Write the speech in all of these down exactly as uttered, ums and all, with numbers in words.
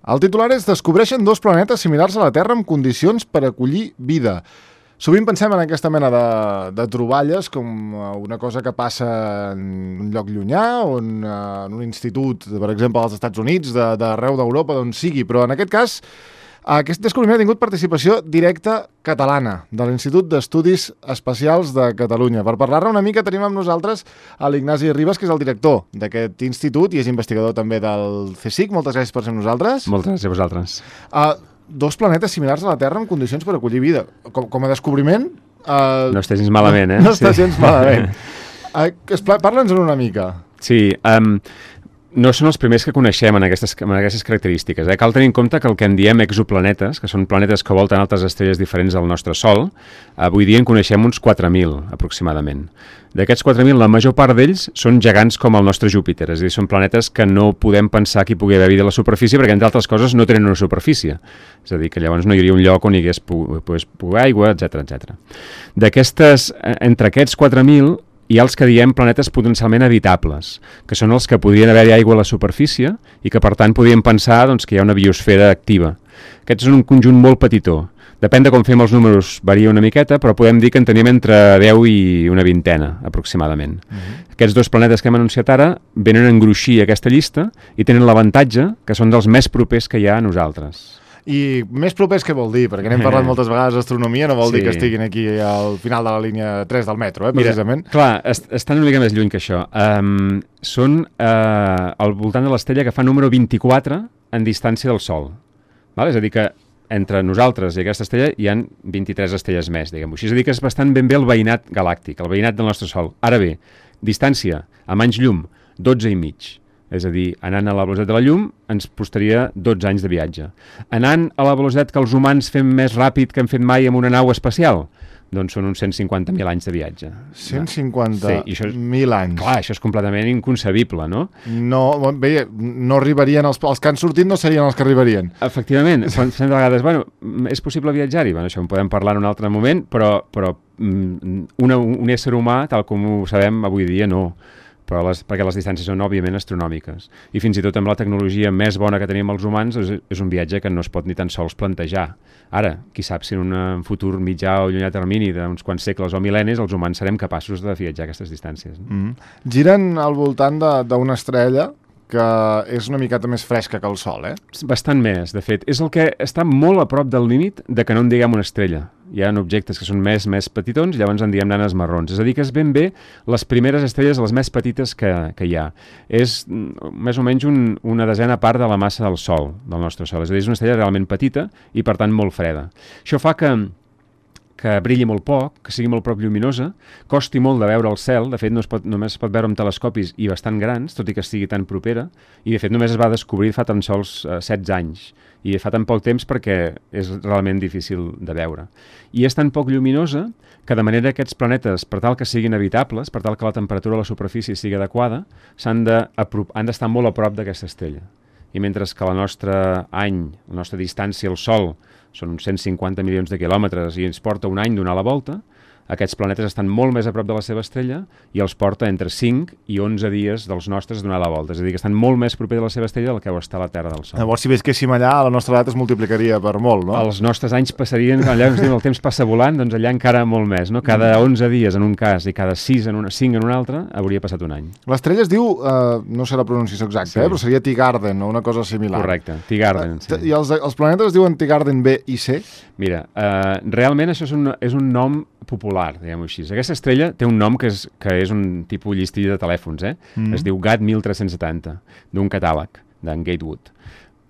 El titular és: descobreixen dos planetes similars a la Terra amb condicions per acollir vida. Sovint pensem en aquesta mena de, de troballes com una cosa que passa en un lloc llunyà o en, en un institut, per exemple, als Estats Units, d'arreu d'Europa, d'on sigui, però en aquest cas aquest descobriment ha tingut participació directa catalana de l'Institut d'Estudis Espacials de Catalunya. Per parlar-ne una mica tenim amb nosaltres a l'Ignasi Ribas, que és el director d'aquest institut i és investigador també del CSIC. Moltes gràcies per ser amb nosaltres. Moltes gràcies a vosaltres. Uh, dos planetes similars a la Terra amb condicions per acollir vida. Com, com a descobriment... Uh, no estàs gens malament, eh? No, no estàs gens sí. malament. Uh, Parla'ns una mica. Sí, um, no són els primers que coneixem en aquestes, en aquestes característiques. Eh? Cal tenir en compte que el que en diem exoplanetes, que són planetes que volten altres estrelles diferents del nostre Sol, avui dia en coneixem uns quatre mil, aproximadament. D'aquests quatre mil, la major part d'ells són gegants com el nostre Júpiter, és a dir, són planetes que no podem pensar que hi pugui haver vida a la superfície perquè, entre altres coses, no tenen una superfície. És a dir, que llavors no hi hauria un lloc on hi hagués pogués poder aigua, etcètera, etcètera. D'aquestes, entre aquests quatre mil, hi ha els que diem planetes potencialment habitables, que són els que podrien haver-hi aigua a la superfície i que, per tant, podríem pensar doncs, que hi ha una biosfera activa. Aquests són un conjunt molt petitó. Depèn de com fem els números, varia una miqueta, però podem dir que en tenim entre deu i una vintena, aproximadament. Uh-huh. Aquests dos planetes que hem anunciat ara venen a engruixir aquesta llista i tenen l'avantatge que són dels més propers que hi ha a nosaltres. I més propers què vol dir? Perquè n'hem parlat moltes vegades d'astronomia, no vol sí. dir que estiguin aquí al final de la línia tres del metro, eh, precisament. Mira, clar, est estan una mica més lluny que això. Um, són uh, al voltant de l'estrella que fa número vint-i-quatre en distància del Sol. Val? És a dir que entre nosaltres i aquesta estrella hi han vint-i-tres estrelles més, diguem-ho així. És a dir que és bastant ben bé el veïnat galàctic, el veïnat del nostre Sol. Ara bé, distància, amb anys llum, dotze i mig. És a dir, anant a la velocitat de la llum ens costaria dotze anys de viatge. Anant a la velocitat que els humans fem més ràpid que hem fet mai amb una nau espacial, doncs són uns cent cinquanta mil anys de viatge. cent cinquanta mil anys. Clar, això és completament inconcebible, no? No, bé, no arribarien, els, els que han sortit no serien els que arribarien. Efectivament, pensem de vegades, bueno, és possible viatjar-hi? Bueno, això en podem parlar en un altre moment, però, però una, un ésser humà, tal com ho sabem avui dia, no. Però les, perquè les distàncies són, òbviament, astronòmiques. I fins i tot amb la tecnologia més bona que tenim els humans és, és un viatge que no es pot ni tan sols plantejar. Ara, qui sap si en un futur mitjà o llunyà termini d'uns quants segles o mil·lennis els humans serem capaços de viatjar aquestes distàncies. No? Mm. Giren al voltant d'una estrella que és una miqueta més fresca que el Sol, eh? Bastant més, de fet. És el que està molt a prop del límit de que no en diguem una estrella. Hi ha objectes que són més més petitons i llavors en diem nanes marrons. És a dir, que és ben bé les primeres estrelles, les més petites que, que hi ha. És més o menys un, una desena part de la massa del Sol, del nostre Sol. És a dir, és una estrella realment petita i, per tant, molt freda. Això fa que que brilli molt poc, que sigui molt prop lluminosa, costi molt de veure el cel, de fet no es pot, només es pot veure amb telescopis i bastant grans, tot i que estigui tan propera, i de fet només es va descobrir fa tan sols eh, setze anys, i fa tan poc temps perquè és realment difícil de veure. I és tan poc lluminosa que de manera que aquests planetes, per tal que siguin habitables, per tal que la temperatura a la superfície sigui adequada, s'han de, han d'estar molt a prop d'aquesta estrella. I mentre que la nostra any, la nostra distància al Sol, són uns cent cinquanta milions de quilòmetres i ens porta un any donar la volta, aquests planetes estan molt més a prop de la seva estrella i els porta entre cinc i onze dies dels nostres donar la volta. És a dir, que estan molt més proper de la seva estrella del que ho està la Terra del Sol. Llavors, si visquéssim allà, la nostra edat es multiplicaria per molt, no? Els nostres anys passarien, allà ens diuen el temps passa volant, doncs allà encara molt més, no? Cada onze dies en un cas i cada sis en una, cinc en un altre, hauria passat un any. L'estrella es diu, eh, no sé la pronunciació exacta, sí. eh, però seria Teegarden o una cosa similar. Correcte, Teegarden. Sí. I els, els planetes es diuen Teegarden B i C? Mira, eh, realment això és un, és un nom popular, diguem-ho així. Aquesta estrella té un nom que és, que és un tipus llistí de telèfons, eh? Mm. Es diu G A T mil tres-cents setanta, d'un catàleg, d'en Gatewood.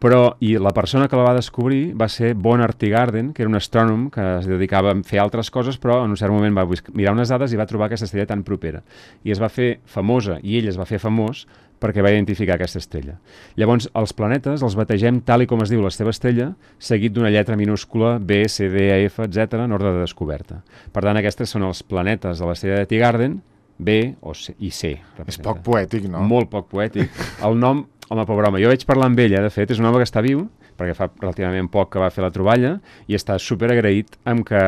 Però, i la persona que la va descobrir va ser Bernard Teegarden, que era un astrònom que es dedicava a fer altres coses, però en un cert moment va mirar unes dades i va trobar aquesta estrella tan propera. I es va fer famosa, i ell es va fer famós, perquè va identificar aquesta estrella. Llavors, els planetes els bategem tal i com es diu la seva estrella, seguit d'una lletra minúscula B, C, D, E, F, etcètera, en ordre de descoberta. Per tant, aquestes són els planetes de l'estrella de Teegarden, B o C, i C. És poc poètic, no? Molt poc poètic. El nom, home, pobre home, jo vaig parlar amb ella, de fet, és un home que està viu, perquè fa relativament poc que va fer la troballa, i està superagraït amb que,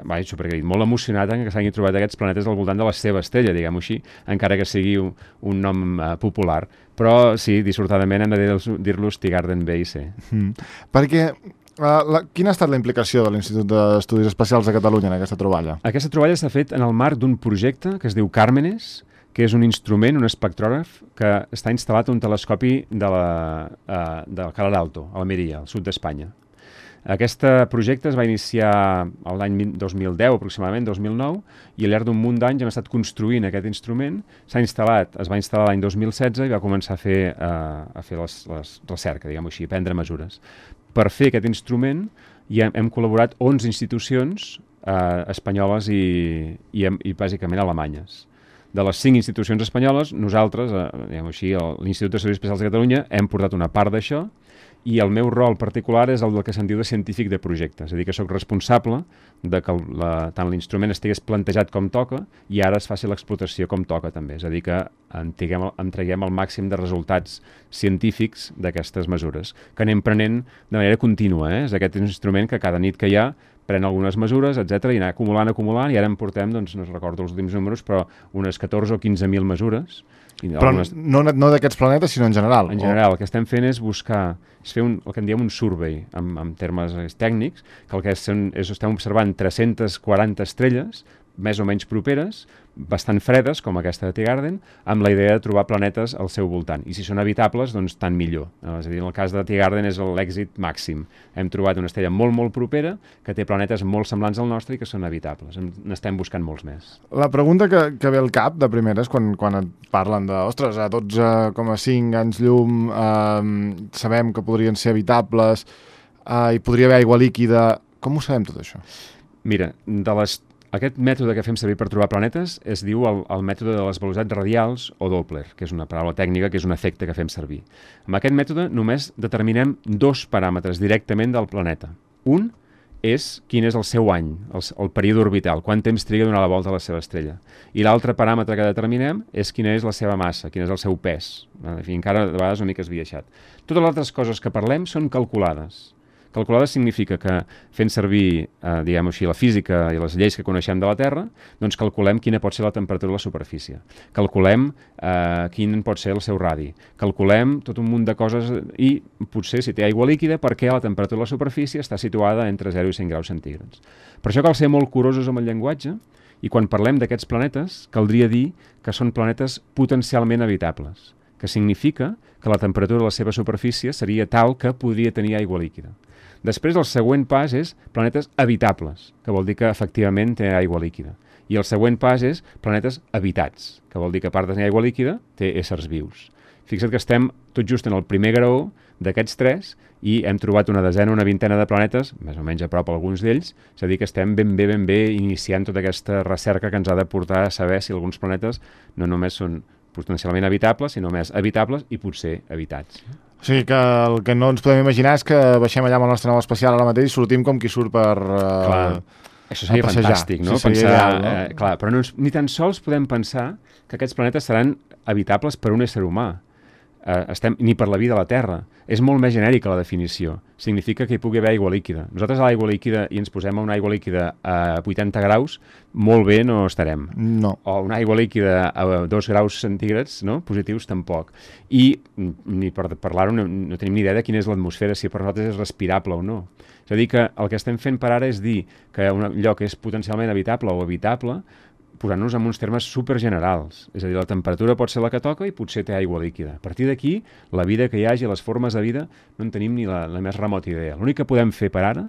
vai, superagraït, molt emocionat en que s'hagin trobat aquests planetes al voltant de la seva estrella, diguem-ho així, encara que sigui un, un nom uh, popular. Però sí, dissortadament hem de dir-los Teegarden B i C. Mm. Perquè Uh, la, quina ha estat la implicació de l'Institut d'Estudis Espacials de Catalunya en aquesta troballa? Aquesta troballa s'ha fet en el marc d'un projecte que es diu Càrmenes, que és un instrument, un espectrògraf, que està instal·lat a un telescopi de la, uh, del Calar Alto, a Almeria, al sud d'Espanya. Aquest projecte es va iniciar l'any dos mil deu, aproximadament, dos mil nou, i al llarg d'un munt d'anys hem estat construint aquest instrument. S'ha instal·lat, es va instal·lar l'any dos mil setze i va començar a fer, uh, a fer les, les recerca, diguem-ho així, a prendre mesures. Per fer aquest instrument hi hem, hem col·laborat onze institucions eh, espanyoles i, i, i bàsicament alemanyes. De les cinc institucions espanyoles, nosaltres, eh, diguem-ho així, l'Institut d'Estudis Espacials de Catalunya, hem portat una part d'això, i el meu rol particular és el del que se'n diu de científic de projecte, és a dir, que sóc responsable de que la, tant l'instrument estigués plantejat com toca i ara es faci l'explotació com toca també, és a dir, que en traguem, en traguem el màxim de resultats científics d'aquestes mesures, que anem prenent de manera contínua, eh? És aquest instrument que cada nit que hi ha pren algunes mesures, etcètera, i anar acumulant, acumulant, i ara en portem, doncs no recordo els últims números, però unes catorze o quinze mil mesures. I però algunes... no, no d'aquests planetes, sinó en general? En general, o... el que estem fent és buscar, és fer un, el que en diem un survey, en, en termes tècnics, que el que és, és estem observant tres-centes quaranta estrelles, més o menys properes, bastant fredes, com aquesta de Teegarden, amb la idea de trobar planetes al seu voltant. I si són habitables, doncs tant millor. És a dir, en el cas de Teegarden és l'èxit màxim. Hem trobat una estrella molt, molt propera, que té planetes molt semblants al nostre i que són habitables. N'estem buscant molts més. La pregunta que, que ve al cap, de primera, és quan, quan et parlen de, ostres, a dotze coma cinc anys llum, eh, sabem que podrien ser habitables, eh, i podria haver aigua líquida. Com ho sabem, tot això? Mira, de les aquest mètode que fem servir per trobar planetes es diu el, el mètode de les velocitats radials o Doppler, que és una paraula tècnica, que és un efecte que fem servir. Amb aquest mètode només determinem dos paràmetres directament del planeta. Un és quin és el seu any, el, el període orbital, quant temps triga a donar la volta a la seva estrella. I l'altre paràmetre que determinem és quina és la seva massa, quin és el seu pes. En fi, encara de vegades una mica esbiaixat. Totes les altres coses que parlem són calculades. Calculada significa que fent servir, eh, diguem-ho així, la física i les lleis que coneixem de la Terra, doncs calculem quina pot ser la temperatura de la superfície. Calculem eh, quin pot ser el seu radi. Calculem tot un munt de coses i potser si té aigua líquida perquè la temperatura de la superfície està situada entre zero i cent graus centígrads. Per això cal ser molt curosos amb el llenguatge i quan parlem d'aquests planetes caldria dir que són planetes potencialment habitables, que significa que la temperatura de la seva superfície seria tal que podria tenir aigua líquida. Després, el següent pas és planetes habitables, que vol dir que efectivament té aigua líquida. I el següent pas és planetes habitats, que vol dir que a part de tenir aigua líquida té éssers vius. Fixa't que estem tot just en el primer graó d'aquests tres i hem trobat una desena, una vintena de planetes, més o menys a prop alguns d'ells, és a dir que estem ben bé, ben bé iniciant tota aquesta recerca que ens ha de portar a saber si alguns planetes no només són potencialment habitables, sinó més habitables i potser habitats. O sigui que el que no ens podem imaginar és que baixem allà amb el nostre nau espacial ara mateix i sortim com qui surt per uh, clar, això seria fantàstic, no? Sí, seria pensar, ideal, no? Eh, clar, però no, ni tan sols podem pensar que aquests planetes seran habitables per un ésser humà. Eh, estem, ni per la vida a la Terra. És molt més genèrica la definició. Significa que hi pugui haver aigua líquida. Nosaltres a l'aigua líquida i ens posem a una aigua líquida a vuitanta graus, molt bé no estarem. No. O una aigua líquida a dos graus centígrads, no? Positius tampoc. I ni per parlar-ho no, no tenim ni idea de quina és l'atmosfera, si per nosaltres és respirable o no. És a dir que el que estem fent per ara és dir que un lloc és potencialment habitable o habitable posant-nos en uns termes supergenerals. És a dir, la temperatura pot ser la que toca i potser té aigua líquida. A partir d'aquí, la vida que hi hagi, les formes de vida, no en tenim ni la, la més remota idea. L'únic que podem fer per ara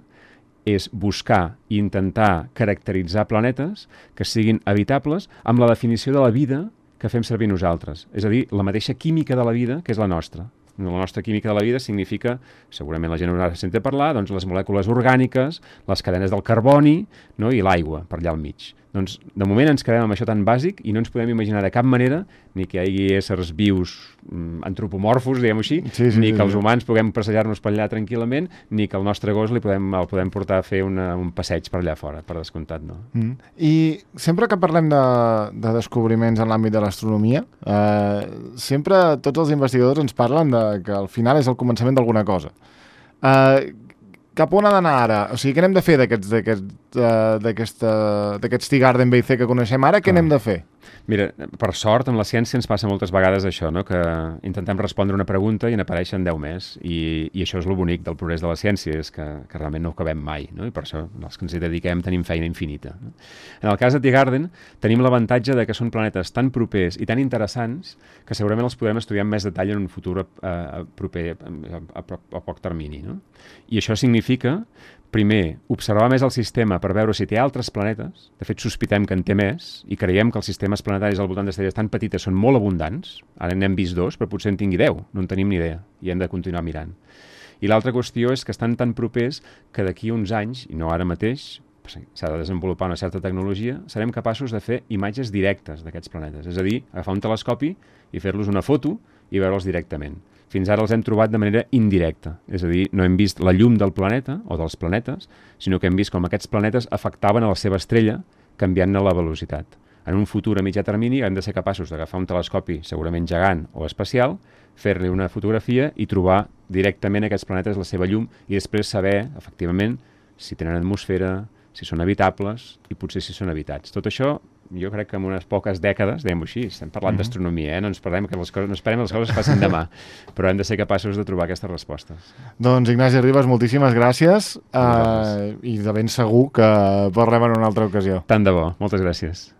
és buscar i intentar caracteritzar planetes que siguin habitables amb la definició de la vida que fem servir nosaltres. És a dir, la mateixa química de la vida que és la nostra. La nostra química de la vida significa, segurament la gent haurà sentit parlar, doncs les molècules orgàniques, les cadenes del carboni, no? I l'aigua per allà al mig. Doncs, de moment ens quedem amb això tan bàsic i no ens podem imaginar de cap manera ni que hi hagi éssers vius mm, antropomorfos, diguem-ho així, sí, sí, ni sí, que els sí. humans puguem passejar-nos per allà tranquil·lament, ni que el nostre gos li podem, el podem portar a fer una, un passeig per allà fora, per descomptat, no? Mm. I sempre que parlem de, de descobriments en l'àmbit de l'astronomia, eh, sempre tots els investigadors ens parlen de que al final és el començament d'alguna cosa. Uh, cap on ha d'anar ara? O sigui, què n'hem de fer d'aquests d'aquests Tea Garden B I C que coneixem ara? Què n'hem de fer? Mira, per sort, amb la ciència ens passa moltes vegades això, no? Que intentem respondre una pregunta i n'apareixen deu més. I, I això és lo bonic del progrés de la ciència, és que, que realment no ho acabem mai, no? I per això els que ens hi dediquem tenim feina infinita. No? En el cas de Tea Garden tenim l'avantatge de que són planetes tan propers i tan interessants que segurament els podrem estudiar amb més detall en un futur eh, proper, a, a, a poc termini. No? I això significa, primer, observar més el sistema per veure si té altres planetes. De fet, sospitem que en té més i creiem que els sistemes planetaris al voltant d'estrelles tan petites són molt abundants. Ara n'hem vist dos, però potser en tingui deu. No en tenim ni idea i hem de continuar mirant. I l'altra qüestió és que estan tan propers que d'aquí uns anys, i no ara mateix, s'ha de desenvolupar una certa tecnologia, serem capaços de fer imatges directes d'aquests planetes. És a dir, agafar un telescopi i fer-los una foto i veure'ls directament. Fins ara els hem trobat de manera indirecta. És a dir, no hem vist la llum del planeta o dels planetes, sinó que hem vist com aquests planetes afectaven a la seva estrella canviant-ne la velocitat. En un futur a mitjà termini hem de ser capaços d'agafar un telescopi segurament gegant o espacial, fer-li una fotografia i trobar directament aquests planetes la seva llum i després saber, efectivament, si tenen atmosfera, si són habitables i potser si són habitats. Tot això, jo crec que en unes poques dècades, diguem-ho així, estem parlant mm-hmm. d'astronomia, eh? no, ens parlem que les coses, no esperem que les coses es facin demà, però hem de ser capaços de trobar aquestes respostes. Doncs Ignasi Ribas, moltíssimes gràcies uh, i de ben segur que parlem en una altra ocasió. Tant de bo, moltes gràcies.